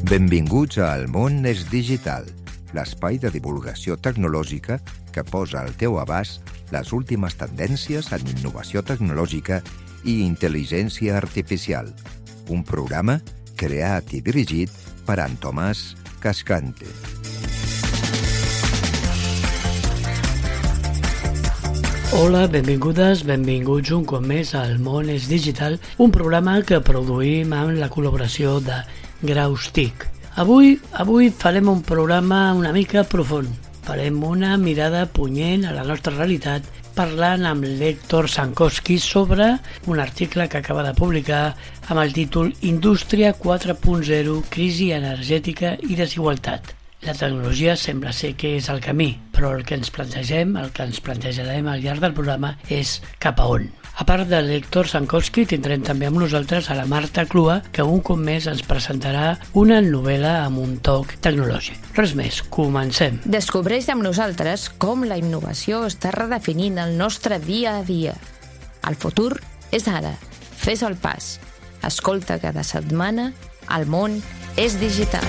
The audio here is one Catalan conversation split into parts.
Benvinguts a El món és digital, l'espai de divulgació tecnològica que posa al teu abast les últimes tendències en innovació tecnològica i intel·ligència artificial. Un programa creat i dirigit per en Tomàs Cascante. Hola, benvingudes, benvinguts un cop més al Món és Digital, un programa que produïm amb la col·laboració de Graustic. Avui farem un programa una mica profund. Farem una mirada punyent a la nostra realitat parlant amb l'Héctor Sankowski sobre un article que acaba de publicar amb el títol Indústria 4.0, crisi energètica i desigualtat. La tecnologia sembla ser que és el camí, però el que ens plantejarem al llarg del programa és cap a on. A part de l'Héctor Sankowski, tindrem també amb nosaltres a la Marta Clua, que un cop més ens presentarà una novel·la amb un toc tecnològic. Res més, comencem. Descobreix amb nosaltres com la innovació està redefinint el nostre dia a dia. El futur és ara. Fes el pas. Escolta cada setmana El món és digital.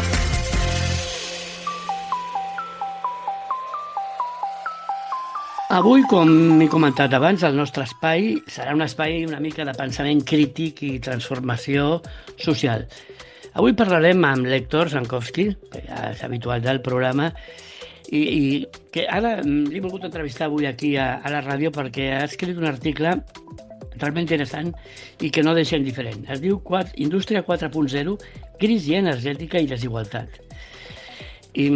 Avui, com he comentat abans, el nostre espai serà un espai una mica de pensament crític i transformació social. Avui parlarem amb l'Héctor Sankowski, que ja és habitual del programa, i que ara l'he volgut entrevistar avui aquí a la ràdio perquè ha escrit un article realment interessant i que no deixa indiferent. Es diu Indústria 4.0, crisi energètica i desigualtat. I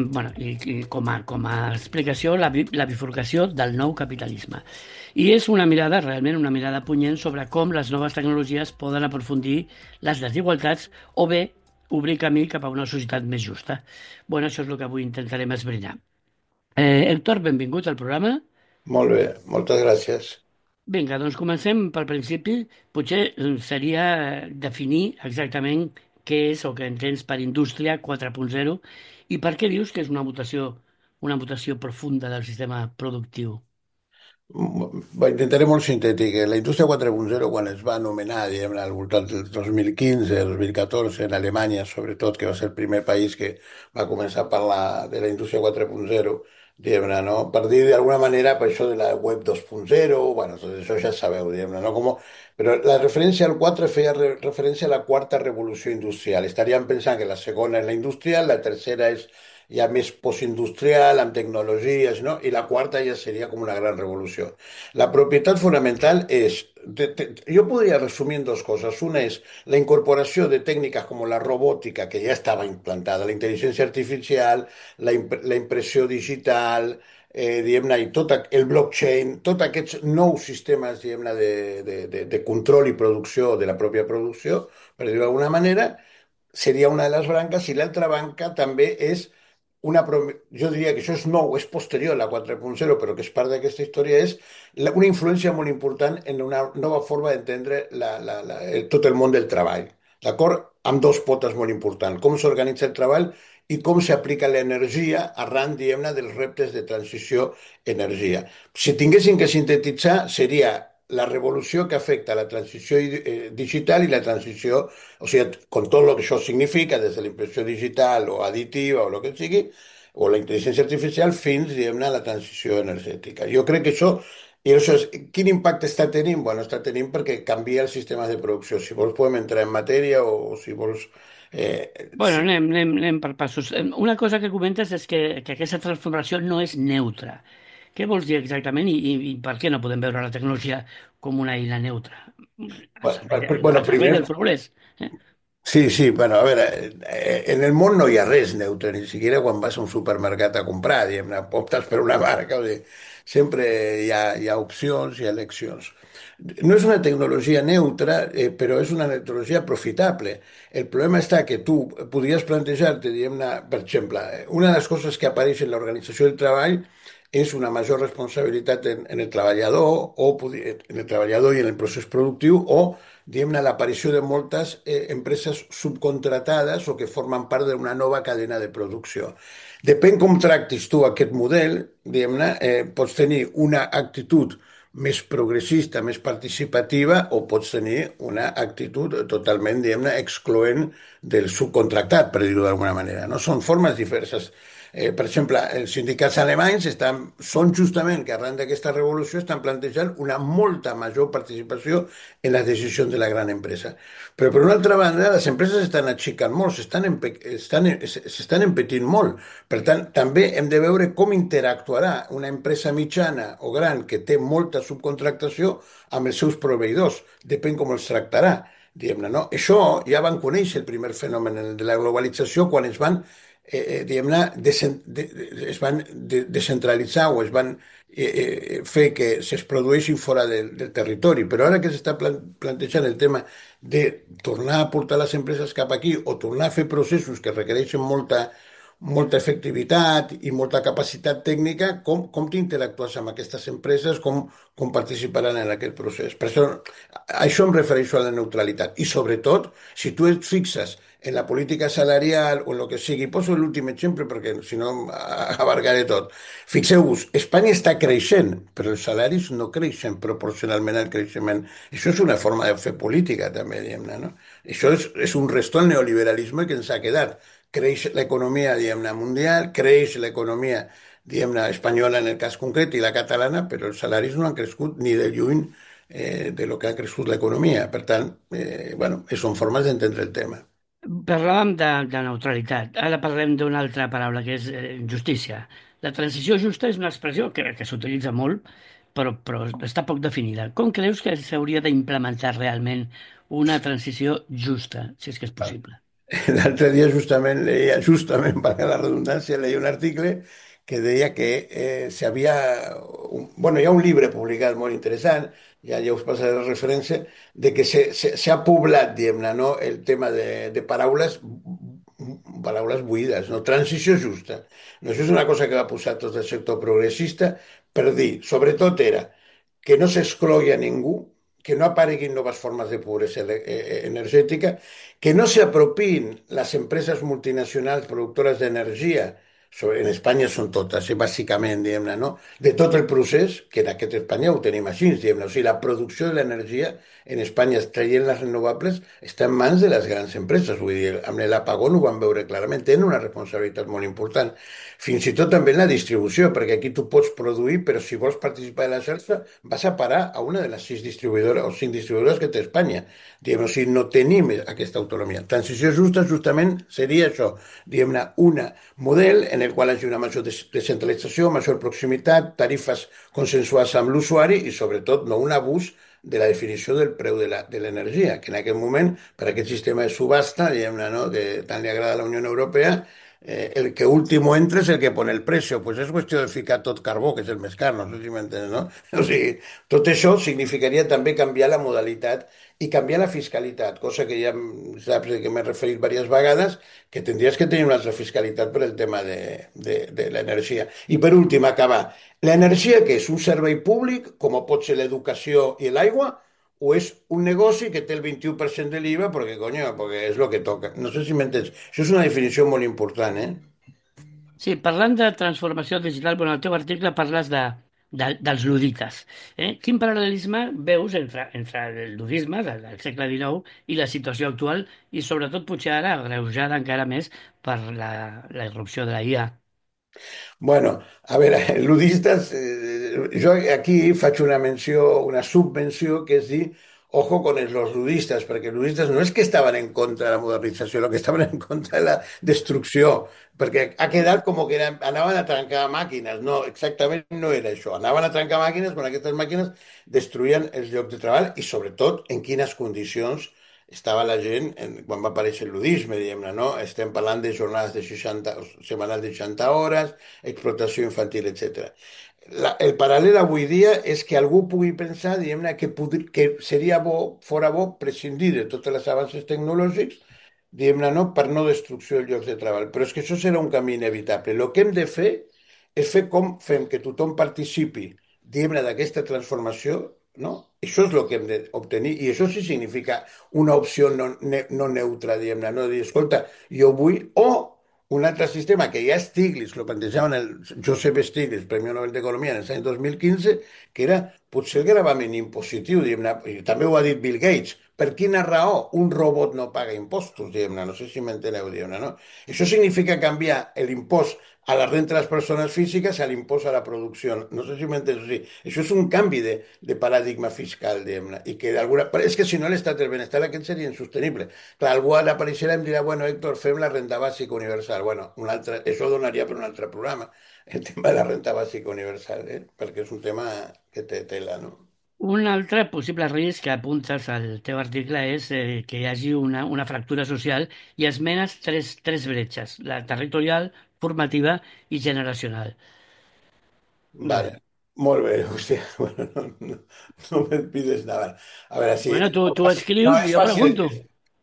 com a explicació la bifurcació del nou capitalisme. I és realment una mirada punyent sobre com les noves tecnologies poden aprofundir les desigualtats o bé obrir camí cap a una societat més justa. Això és el que avui intentarem esbrinar. Héctor, benvingut al programa. Molt bé, moltes gràcies. Vinga, doncs comencem pel principi. Potser seria definir exactament què és o què entens per Indústria 4.0 i per què dius que és una mutació profunda del sistema productiu? Intentaré molt sintètic. La indústria 4.0, quan es va anomenar, diguem-ne, al voltant del 2015, 2014, en Alemanya, sobretot, que va ser el primer país que va començar a parlar de la indústria 4.0, diguem-ne, no? Per dir d'alguna manera, per això de la web 2.0, tot això ja sabeu, diguem-ne, no? Però la referència al 4 feia referència a la quarta revolució industrial. Estaríem pensant que la segona és la industrial, la tercera és ja més postindustrial, amb tecnologies, no? I la quarta ja seria com una gran revolució. La propietat fonamental és, jo podria resumir en dues coses. Una és la incorporació de tècniques com la robòtica, que ja estava implantada, la intel·ligència artificial, la impressió digital, diguem-ne, i tot el blockchain, tots aquests nous sistemes, diguem-ne, de control i producció de la pròpia producció, per dir-ho d'alguna manera, seria una de les branques, i l'altra branca també és jo diria que això és nou, és posterior a la 4.0, però que és part d'aquesta història, és una influència molt important en una nova forma d'entendre tot el món del treball, d'acord? Amb dos potes molt importants, com s'organitza el treball i com s'aplica l'energia arran, diguem-ne, dels reptes de transició energia. Si tinguéssim que sintetitzar, seria la revolució que afecta la transició digital i la transició, o sigui, con tot el que això significa, des de la impressió digital o additiva o el que sigui, o la intel·ligència artificial, fins, diguem-ne, a la transició energètica. Jo crec que això, quin impacte està tenint? Està tenint perquè canvia els sistemes de producció. Si vols podem entrar en matèria o si vols... Anem per passos. Una cosa que comentes és que aquesta transformació no és neutra. Què vols dir exactament i per què no podem veure la tecnologia com una eina neutra? Primer... del progrés. Sí, a veure, en el món no hi ha res neutre, ni siquiera quan vas a un supermercat a comprar, diguem-ne, optes per una marca, o sigui, sempre hi ha opcions, hi ha eleccions. No és una tecnologia neutra, però és una tecnologia profitable. El problema està que tu podries plantejar-te, diguem-ne, per exemple, una de les coses que apareix en l'organització del treball és una major responsabilitat en el treballador, en el treballador i en el procés productiu, o, diguem-ne, l'aparició de moltes empreses subcontratades o que formen part d'una nova cadena de producció. Depèn com tractis tu aquest model, diguem-ne, pots tenir una actitud més progressista, més participativa, o pots tenir una actitud totalment, diguem-ne, excloent del subcontractat, per dir-ho d'alguna manera. No? Són formes diverses. Per exemple, els sindicats alemanys són justament que arran d'aquesta revolució estan plantejant una molta major participació en les decisions de la gran empresa. Però per una altra banda, les empreses estan aixecant molt, s'estan empetint molt. Per tant, també hem de veure com interactuarà una empresa mitjana o gran que té molta subcontractació amb els seus proveïdors. Depèn com els tractarà, diguem-ne, no? Això ja van conèixer el primer fenomen de la globalització quan diguem-ne, es van descentralitzar o es van fer que es produeixin fora del territori. Però ara que s'està plantejant el tema de tornar a portar les empreses cap aquí o tornar a fer processos que requereixen molta efectivitat i molta capacitat tècnica, com t'interactues amb aquestes empreses, com participaran en aquest procés. Per això, a això em refereixo a la neutralitat. I sobretot, si tu et fixes en la política salarial o en el que sigui, poso l'últim exemple perquè si no abarcaré tot. Fixeu-vos, Espanya està creixent, però els salaris no creixen proporcionalment al creixement. Això és una forma de fer política, també, diguem-ne, no? Això és un restó al neoliberalisme que ens ha quedat. Creix l'economia, diguem-ne, mundial, creix l'economia, diguem-ne, espanyola en el cas concret i la catalana, però els salaris no han crescut ni de lluny de lo que ha crescut l'economia. Per tant, bueno, són formes d'entendre el tema. Parlàvem de neutralitat. Ara parlem d'una altra paraula, que és justícia. La transició justa és una expressió que s'utilitza molt, però està poc definida. Com creus que s'hauria d'implementar realment una transició justa, si és que és possible? L'altre dia justament, per la redundància, leia un article que deia que bueno, hi ha un llibre publicat molt interessant, ja us passaré la referència, de que s'ha poblat, diguem-ne, no, el tema de paraules buides, no? Transició justa. No, això és una cosa que va posar tot el sector progressista per dir, sobretot era que no s'exclogui a ningú, que no apareguin noves formes de pobresa energètica, que no se apropiïn les empreses multinacionals productores d'energia, en Espanya són totes, bàsicament, diguem-ne, no? De tot el procés, que en aquest Espanya ho tenim així, diguem-ne. O sigui, la producció de l'energia en Espanya, traient les renovables, està en mans de les grans empreses. Vull dir, amb l'apagón ho van veure clarament, tenen una responsabilitat molt important. Fins i tot també en la distribució, perquè aquí tu pots produir, però si vols participar de la xarxa, vas a parar a una de les 6 distribuïdores o 5 distribuïdores que té Espanya. Diguem, o sigui, no tenim aquesta autonomia. Transició justa justament seria això, diguem-ne, un model en el qual hi hagi una major descentralització, major proximitat, tarifes consensuades amb l'usuari i, sobretot, no un abús de la definició del preu de l'energia, que en aquest moment, per aquest sistema de subhasta, diguem-ne, no?, que tant li agrada a la Unió Europea, el que último entra és el que pone el precio. Pues és qüestió de ficar tot carbó, que és el més car, no sé si m'entens, no? O sigui, tot això significaria també canviar la modalitat i canviar la fiscalitat, cosa que ja saps que m'he referit diverses vegades, que tindries que tenir una altra fiscalitat per el tema de l'energia. I per últim, acabar. L'energia, que és un servei públic, com pot ser l'educació i l'aigua, o és un negoci que té el 21% de l'IVA perquè, coño, perquè és el que toca. No sé si m'entens. Això és una definició molt important, eh? Sí, parlant de transformació digital, bueno, al teu article parles dels ludites. Quin paral·lelisme veus entre el ludisme del segle XIX i la situació actual i sobretot potser ara agreujada encara més per la irrupció de la IA? Bueno, a veure, ludistes, jo aquí faig una menció, una subvenció, que és dir, ojo con los ludistes, perquè els ludistes no és que estaven en contra de la modernització, el que estaven en contra de la destrucció, perquè ha quedat com que anaven a trencar màquines. No, exactament no era això. Anaven a trencar màquines quan aquestes màquines destruïen els llocs de treball i, sobretot, en quines condicions estava la gent quan va aparèixer el ludisme, diguem-ne, no? Estem parlant de jornades de 60, setmanals de 60 hores, explotació infantil, etc. El paral·lel avui dia és que algú pugui pensar, diguem-ne, que seria bo, fora bo, prescindir de tots els avanços tecnològics, diguem-ne, no, per no destrucció de llocs de treball. Però és que això serà un camí inevitable. El que hem de fer és fer com fem que tothom participi, diguem-ne, d'aquesta transformació, no? Això és el que hem d'obtenir i això sí significa una opció no neutra, diguem-ne, no dir, escolta, jo vull, o un altre sistema que ja Stiglitz, lo plantejaven el Joseph Stiglitz, Premi Nobel d'Economia en els anys 2015, que era potser el gravament impositiu, diguem-ne, i també ho ha dit Bill Gates, per quina raó un robot no paga impostos, diguem-ne, no sé si m'enteneu, diguem-ne, no? Això significa canviar l'impost a la renta de les persones físiques a l'impost a la producció. No sé si m'entens. O sigui, això és un canvi de paradigma fiscal, diguem-ne, i que d'alguna... Però és que si no l'estat del benestar aquest seria insostenible. Clar, algú apareixerà i em dirà, bueno, Héctor, fem la renda bàsica universal. Bueno, això donaria per un altre programa, el tema de la renta bàsica universal, perquè és un tema que té tela, no? Un altre possible risc que apuntes al teu article és que hi hagi una fractura social i esmenes tres bretxes, la territorial, formativa i generacional. Vale, Bueno, molt bé. Hòstia, bueno, no me pides nada. A veure, sí, bueno, tu no, escrius i és jo fàcil, pregunto.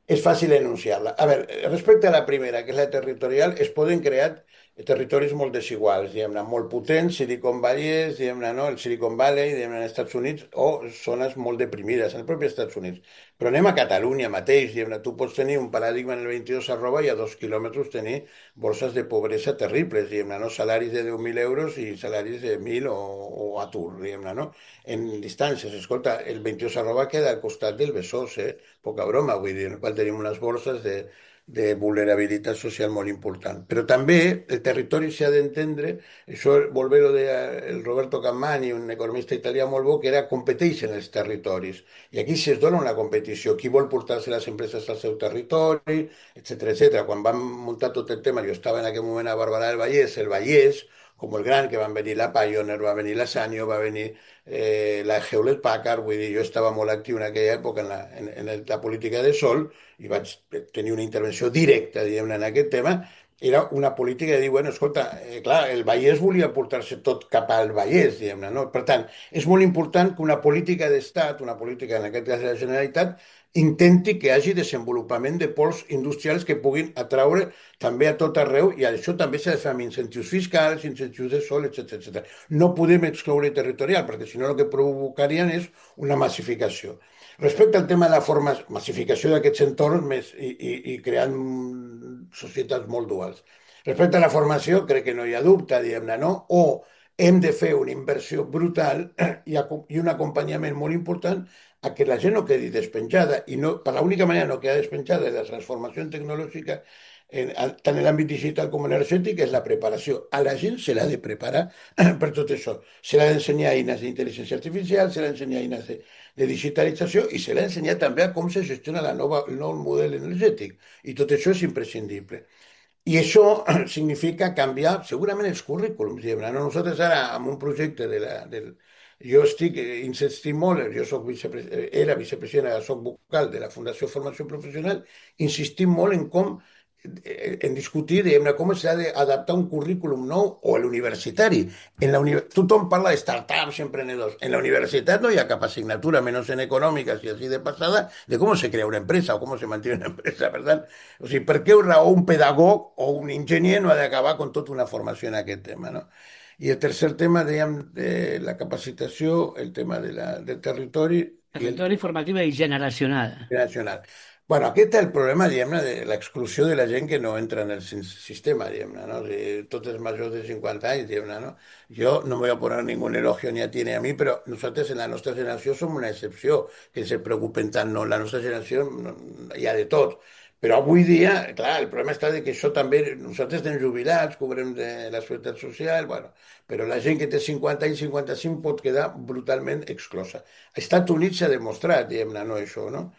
és fàcil enunciar-la. A veure, respecte a la primera, que és la territorial, es poden crear territoris molt desiguals, diguem-ne, molt potents, Silicon Valley, diguem-ne, no? El Silicon Valley, diguem-ne, als Estats Units, o zones molt deprimides, en el propi Estats Units. Però anem a Catalunya mateix, diguem-ne, tu pots tenir un paradigma en el 22 arroba i a 2 quilòmetres tenir bolsas de pobresa terribles, diguem-ne, no? Salaris de 10.000 euros i salaris de 1.000 o atur, diguem-ne, no? En distàncies, escolta, el 22 arroba queda al costat del Besòs, poca broma, vull dir, en el qual tenim unes borses de vulnerabilitat social molt important. Però també el territori s'ha d'entendre, això volver ho deia el Roberto Cammani, un economista italià molt bo, que era competeix en els territoris. I aquí es dona una competició. Qui vol portar-se les empreses al seu territori, etcètera, etcètera. Quan vam muntar tot el tema, jo estava en aquell moment a Barberà del Vallès, el Vallès, com el gran, que van venir la Pioneer, va venir la Sanyo, va venir la Hewlett Packard, vull dir, jo estava molt actiu en aquella època en la política de sol i vaig tenir una intervenció directa, diguem-ne, en aquest tema. Era una política de dir, bueno, escolta, clar, el Vallès volia portar-se tot cap al Vallès, diguem-ne, no? Per tant, és molt important que una política d'Estat, una política, en aquest cas de la Generalitat, intenti que hi hagi desenvolupament de pols industrials que puguin atraure també a tot arreu, i això també s'ha de fer amb incentius fiscals, incentius de sol, etc. No podem excloure territorial, perquè si no el que provocarien és una massificació. Respecte al tema de la massificació d'aquests entorns i creant societats molt duals. Respecte a la formació, crec que no hi ha dubte, diguem-ne, no? O hem de fer una inversió brutal i un acompanyament molt important a que la gent no quedi despenjada i no, per l'única manera no queda despenjada de la transformació tecnològica tant en l'àmbit digital com energètic és la preparació. A la gent se l'ha de preparar per tot això. Se l'ha d'ensenyar eines d'intel·ligència artificial, se l'ha d'ensenyar eines de digitalització i se l'ha d'ensenyar també a com se gestiona el nou model energètic. I tot això és imprescindible. I això significa canviar segurament els currículums. Diguem-ne. Nosaltres ara, amb un projecte jo insistint molt, jo soc era vicepresident, soc vocal de la Fundació Formació Professional, insistim molt en com en discutir, diguem-ne, com s'ha d'adaptar un currículum nou o a l'universitari. Tothom parla de startups, emprenedors. En la universitat no hi ha cap assignatura, menys en econòmiques i així de passada, de com se crea una empresa o com se manté una empresa. Per tant, o sigui, per què raó un pedagog o un enginyer no ha d'acabar amb tota una formació en aquest tema, no? I el tercer tema, dèiem, de la capacitació, el tema del territori i el Territori, formativa i generacional. nacional. Bueno, aquest és el problema, diguem-ne, de l'exclusió de la gent que no entra en el sistema, diguem-ne, no? O sigui, tots els majors de 50 anys, diguem-ne, no? Jo no me voy a poner ningún elogio ni a ti ni a mi, però nosaltres en la nostra generació som una excepció, que se preocupen tant, no? En la nostra generació hi ha de tot. Però avui dia, clar, el problema està de que això també, nosaltres estem jubilats, cobrem de la seguretat social, bueno, però la gent que té 50 anys, 55 pot quedar brutalment exclosa. Als Estats Units s'ha demostrat, diguem-ne, no, això, no?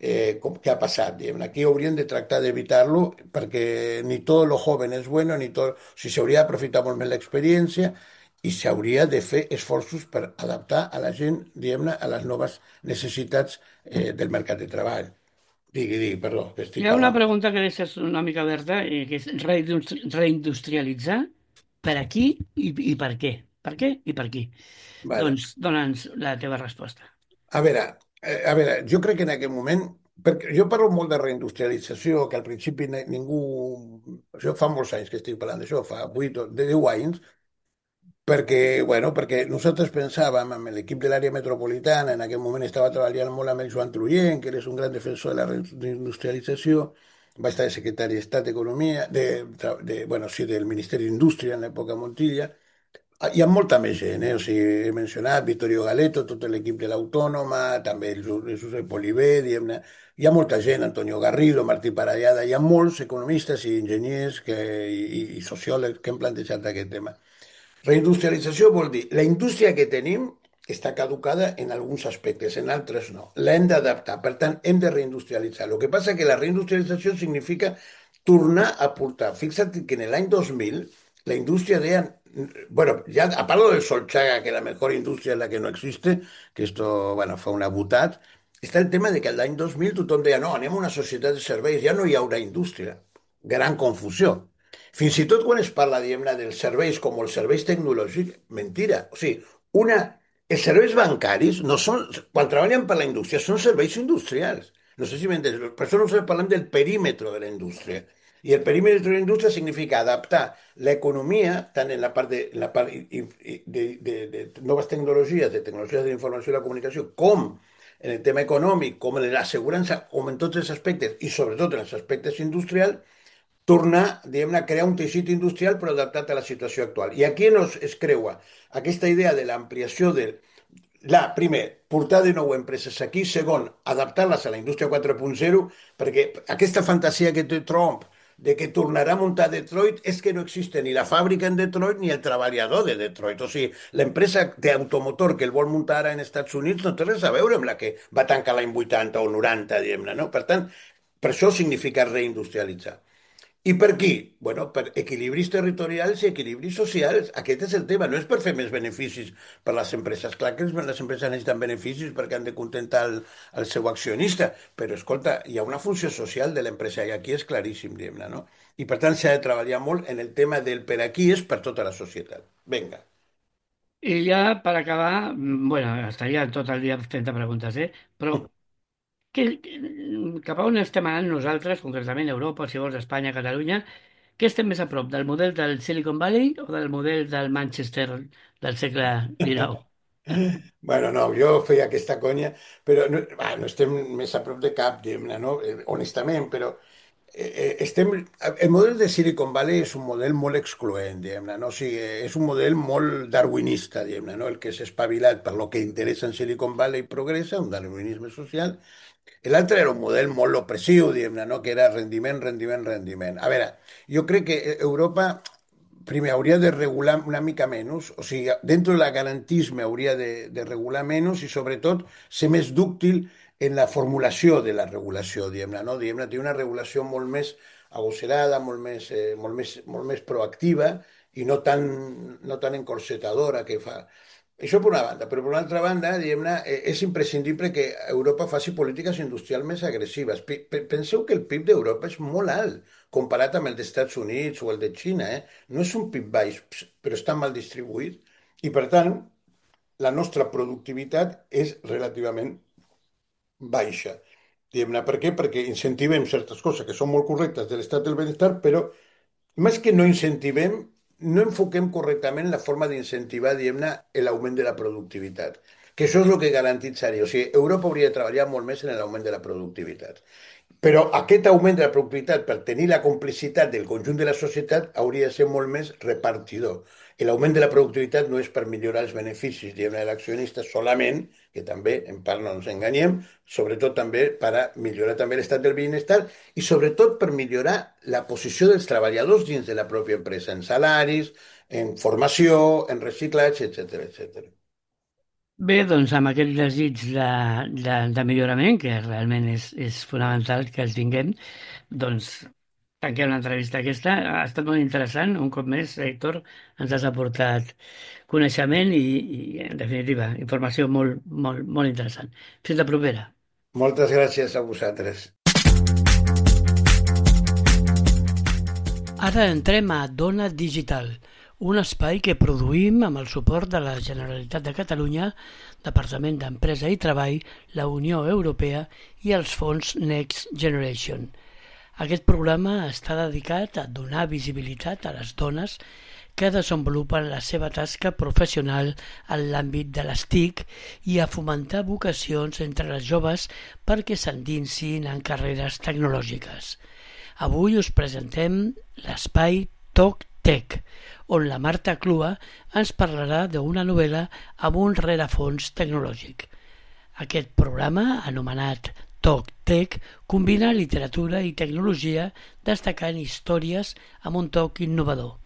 Què ha passat, diguem-ne. Aquí haurien de tractar d'evitar-lo perquè ni tot lo joven és bueno, ni tot... O sigui, s'hauria d'aprofitar molt més l'experiència i s'hauria de fer esforços per adaptar a la gent, diguem-ne, a les noves necessitats del mercat de treball. Digui, perdó, que Hi estic ha una parlant. pregunta que deixes una mica oberta, que és reindustrialitzar per aquí i per què? Per què i per qui? Vale. Doncs dona'ns la teva resposta. A veure, jo crec que en aquest moment, perquè jo parlo molt de reindustrialització, que al principi ningú... Jo fa molts anys que estic parlant d'això, fa 8 o 10 anys, perquè nosaltres pensàvem amb l'equip de l'àrea metropolitana, en aquell moment estava treballant molt amb el Joan Trullent, que és un gran defensor de la reindustrialització, va estar de secretari d'Estat d'Economia, bueno, sí, del Ministeri d'Indústria en l'època Montilla, Hi ha molta més gent, O sigui, he mencionat Vittorio Galeto, tot l'equip de l'Autònoma, també el Josep Oliver, diguem-ne. Hi ha molta gent, Antonio Garrido, Martí Parellada, hi ha molts economistes i enginyers i sociòlegs que han plantejat aquest tema. Reindustrialització vol dir la indústria que tenim està caducada en alguns aspectes, en altres no. L'hem d'adaptar, per tant, hem de reindustrialitzar. El que passa que la reindustrialització significa tornar a portar. Fixa't que en l'any 2000 la indústria deia, bueno, ya a palo del Solchaga, que la mejor industria es la que no existe, que esto, bueno, fue una butat, està el tema de que l'any 2000 tothom deia, no, anem a una societat de serveis, ja no hi haurà indústria. Gran confusió. Fins i tot quan es parla, diguem-ne, dels serveis com els serveis tecnològics, mentira. O sigui, els serveis bancaris no són, quan treballen per la indústria, són serveis industrials. No sé si m'entens. Per això nosaltres parlem del perímetre de la indústria. I el perímetre de la indústria significa adaptar l'economia, tant en la part de noves tecnologies, de tecnologies de la informació i la comunicació, com en el tema econòmic, com en l'assegurança, com en tots els aspectes, i sobretot en els aspectes industrials, tornar, diguem-ne, a crear un teixit industrial però adaptat a la situació actual. I aquí es creua aquesta idea de l'ampliació primer, portar de nou empreses aquí, segon, adaptar-les a la indústria 4.0, perquè aquesta fantasia que té Trump de que tornarà a muntar Detroit és que no existe ni la fàbrica en Detroit ni el treballador de Detroit. O sigui, l'empresa d'automotor que el vol muntar ara en Estats Units no té res a veure amb la que va tancar l'any 80 o 90, diguem-ne, no? Per tant, per això significa reindustrialitzar. I per qui? Bueno, per equilibris territorials i equilibris socials. Aquest és el tema. No és per fer més beneficis per les empreses. Clar que les empreses necessiten beneficis perquè han de contentar el seu accionista. Però, escolta, hi ha una funció social de l'empresa i aquí és claríssim, diguem-ne, no? I, per tant, s'ha de treballar molt en el tema del per aquí és per tota la societat. Vinga. I ja, per acabar, bueno, estaria tot el dia fent preguntes, però cap a on estem anant nosaltres, concretament Europa, si vols, Espanya, Catalunya? Què estem més a prop, del model del Silicon Valley o del model del Manchester del segle XIX? Bueno, no, jo feia aquesta conya, però no estem més a prop de cap, diguem-ne, no? Honestament, però el model de Silicon Valley és un model molt excloent, diguem-ne, no? O sigui, és un model molt darwinista, diguem-ne, no? El que és espavilat per lo que interessa en Silicon Valley progressa, un darwinisme social. L'altre era un model molt opressiu, diguem-ne, no? Que era rendiment, rendiment, rendiment. A veure, jo crec que Europa primer hauria de regular una mica menys, o sigui, dentro del garantisme hauria de regular menys i sobretot ser més dúctil en la formulació de la regulació, diguem-ne, no? Diguem-ne, té una regulació molt més agosserada, molt més proactiva i no tan encorsetadora que fa. Això per una banda, però per una altra banda, diguem-ne, és imprescindible que Europa faci polítiques industrials més agressives. Penseu que el PIB d'Europa és molt alt comparat amb el dels Estats Units o el de Xina. No és un PIB baix, però està mal distribuït i, per tant, la nostra productivitat és relativament baixa. Diguem-ne, per què? Perquè incentivem certes coses que són molt correctes de l'estat del benestar, però més que no incentivem, no enfoquem correctament la forma d'incentivar, diguem-ne, l'augment de la productivitat. Que això és el que garantitzaria. O sigui, Europa hauria de treballar molt més en l'augment de la productivitat. Però aquest augment de la productivitat, per tenir la complicitat del conjunt de la societat, hauria de ser molt més repartidor. L'augment de la productivitat no és per millorar els beneficis de l'accionista solament, que també, en part no ens enganyem, sobretot també per a millorar també l'estat del benestar i sobretot per millorar la posició dels treballadors dins de la pròpia empresa, en salaris, en formació, en reciclatge, etc etc. Bé, doncs amb aquest desig de millorament, que realment és fonamental que el tinguem, doncs tanquem l'entrevista aquesta. Ha estat molt interessant. Un cop més, Héctor, ens has aportat coneixement en definitiva, informació molt, molt, molt interessant. Fins la propera. Moltes gràcies a vosaltres. Ara entrem a Dona Digital, un espai que produïm amb el suport de la Generalitat de Catalunya, Departament d'Empresa i Treball, la Unió Europea i els fons Next Generation. Aquest programa està dedicat a donar visibilitat a les dones que desenvolupen la seva tasca professional en l'àmbit de les TIC i a fomentar vocacions entre les joves perquè s'endinsin en carreres tecnològiques. Avui us presentem l'espai Toc Tech, on la Marta Clua ens parlarà d'una novel·la amb un rerefons tecnològic. Aquest programa, anomenat Talk Tech, combina literatura i tecnologia destacant històries amb un toc innovador.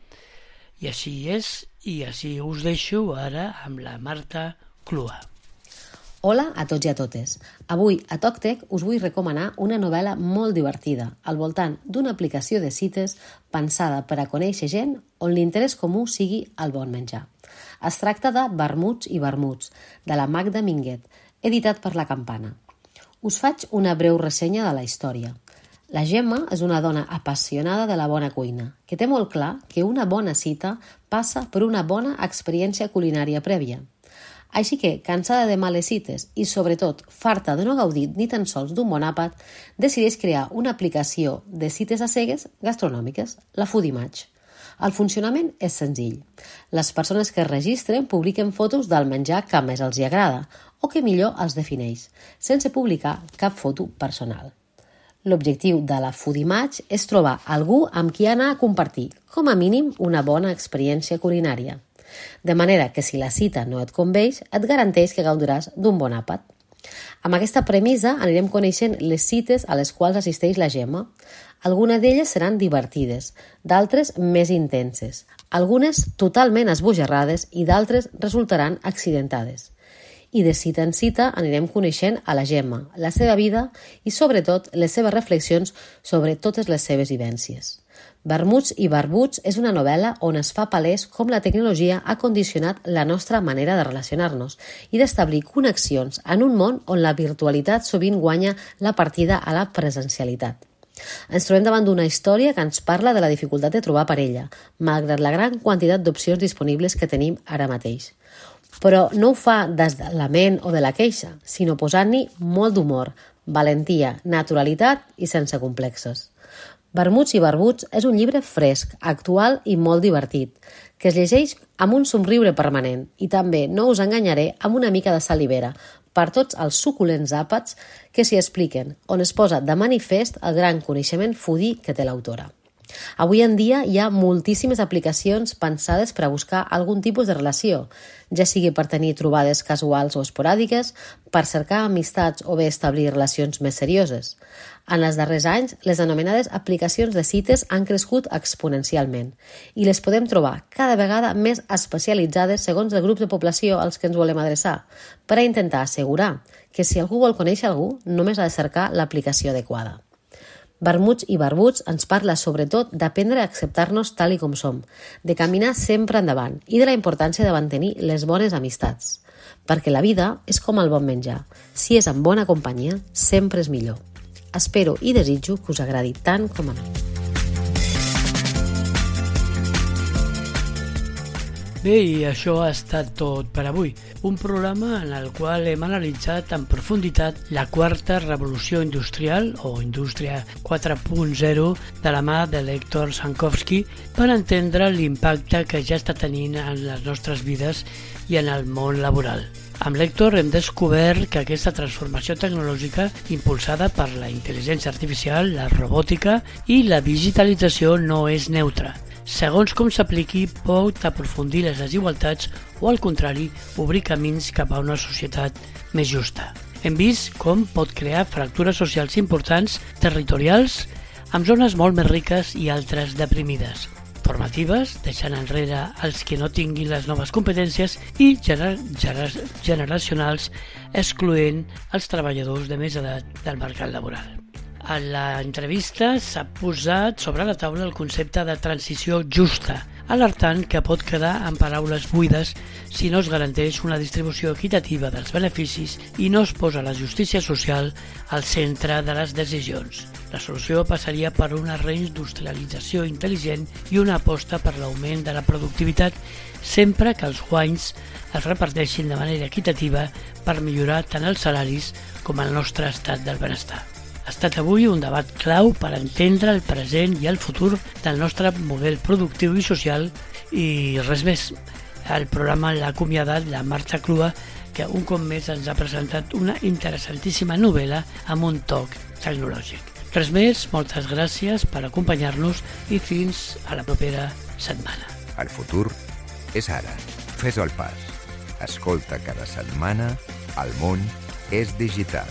I així és, i així us deixo ara amb la Marta Clua. Hola a tots i a totes. Avui a TalkTech us vull recomanar una novel·la molt divertida al voltant d'una aplicació de cites pensada per a conèixer gent on l'interès comú sigui el bon menjar. Es tracta de Vermuts i Vermuts, de la Magda Minguet, editat per La Campana. Us faig una breu ressenya de la història. La Gemma és una dona apassionada de la bona cuina, que té molt clar que una bona cita passa per una bona experiència culinària prèvia. Així que, cansada de males cites i, sobretot, farta de no gaudir ni tan sols d'un bon àpat, decideix crear una aplicació de cites a cegues gastronòmiques, la Foodimatch. El funcionament és senzill. Les persones que es registren publiquen fotos del menjar que més els hi agrada o que millor els defineix, sense publicar cap foto personal. L'objectiu de la Foodimatch és trobar algú amb qui anar a compartir, com a mínim, una bona experiència culinària. De manera que si la cita no et conveix, et garanteix que gaudiràs d'un bon àpat. Amb aquesta premissa anirem coneixent les cites a les quals assisteix la Gemma. Algunes d'elles seran divertides, d'altres més intenses, algunes totalment esbojarrades i d'altres resultaran accidentades. I de cita en cita anirem coneixent a la Gemma, la seva vida i, sobretot, les seves reflexions sobre totes les seves vivències. Vermuts i Vermuts és una novel·la on es fa palès com la tecnologia ha condicionat la nostra manera de relacionar-nos i d'establir connexions en un món on la virtualitat sovint guanya la partida a la presencialitat. Ens trobem davant d'una història que ens parla de la dificultat de trobar parella, malgrat la gran quantitat d'opcions disponibles que tenim ara mateix. Però no ho fa des de la ment o de la queixa, sinó posant-hi molt d'humor, valentia, naturalitat i sense complexes. Vermuts i Vermuts és un llibre fresc, actual i molt divertit, que es llegeix amb un somriure permanent i també, no us enganyaré, amb una mica de salivera per tots els suculents àpats que s'hi expliquen, on es posa de manifest el gran coneixement foodie que té l'autora. Avui en dia hi ha moltíssimes aplicacions pensades per a buscar algun tipus de relació, ja sigui per tenir trobades casuals o esporàdiques, per cercar amistats o bé establir relacions més serioses. En els darrers anys, les anomenades aplicacions de cites han crescut exponencialment i les podem trobar cada vegada més especialitzades segons el grup de població als que ens volem adreçar, per a intentar assegurar que si algú vol conèixer algú, només ha de cercar l'aplicació adequada. Vermuts i Vermuts ens parla sobretot d'aprendre a acceptar-nos tal i com som, de caminar sempre endavant i de la importància de mantenir les bones amistats. Perquè la vida és com el bon menjar. Si és en bona companyia, sempre és millor. Espero i desitjo que us agradi tant com a mi. Bé, i això ha estat tot per avui. Un programa en el qual hem analitzat en profunditat la quarta revolució industrial o indústria 4.0 de la mà de l'Hèctor Sankovski per entendre l'impacte que ja està tenint en les nostres vides i en el món laboral. Amb l'Hèctor hem descobert que aquesta transformació tecnològica impulsada per la intel·ligència artificial, la robòtica i la digitalització no és neutra. Segons com s'apliqui, pot aprofundir les desigualtats o, al contrari, obrir camins cap a una societat més justa. Hem vist com pot crear fractures socials importants, territorials, amb zones molt més riques i altres deprimides, formatives, deixant enrere els que no tinguin les noves competències i generacionals, excloent els treballadors de més edat del mercat laboral. A l'entrevista s'ha posat sobre la taula el concepte de transició justa, alertant que pot quedar en paraules buides si no es garanteix una distribució equitativa dels beneficis i no es posa la justícia social al centre de les decisions. La solució passaria per una reindustrialització intel·ligent i una aposta per l'augment de la productivitat, sempre que els guanys es reparteixin de manera equitativa per millorar tant els salaris com el nostre estat del benestar. Ha estat avui un debat clau per entendre el present i el futur del nostre model productiu i social i res més. El programa l'ha acomiadat la Marta Clua, que un cop més ens ha presentat una interessantíssima novel·la amb un toc tecnològic. Res més, moltes gràcies per acompanyar-nos i fins a la propera setmana. El futur és ara. Fes el pas. Escolta cada setmana El món és digital.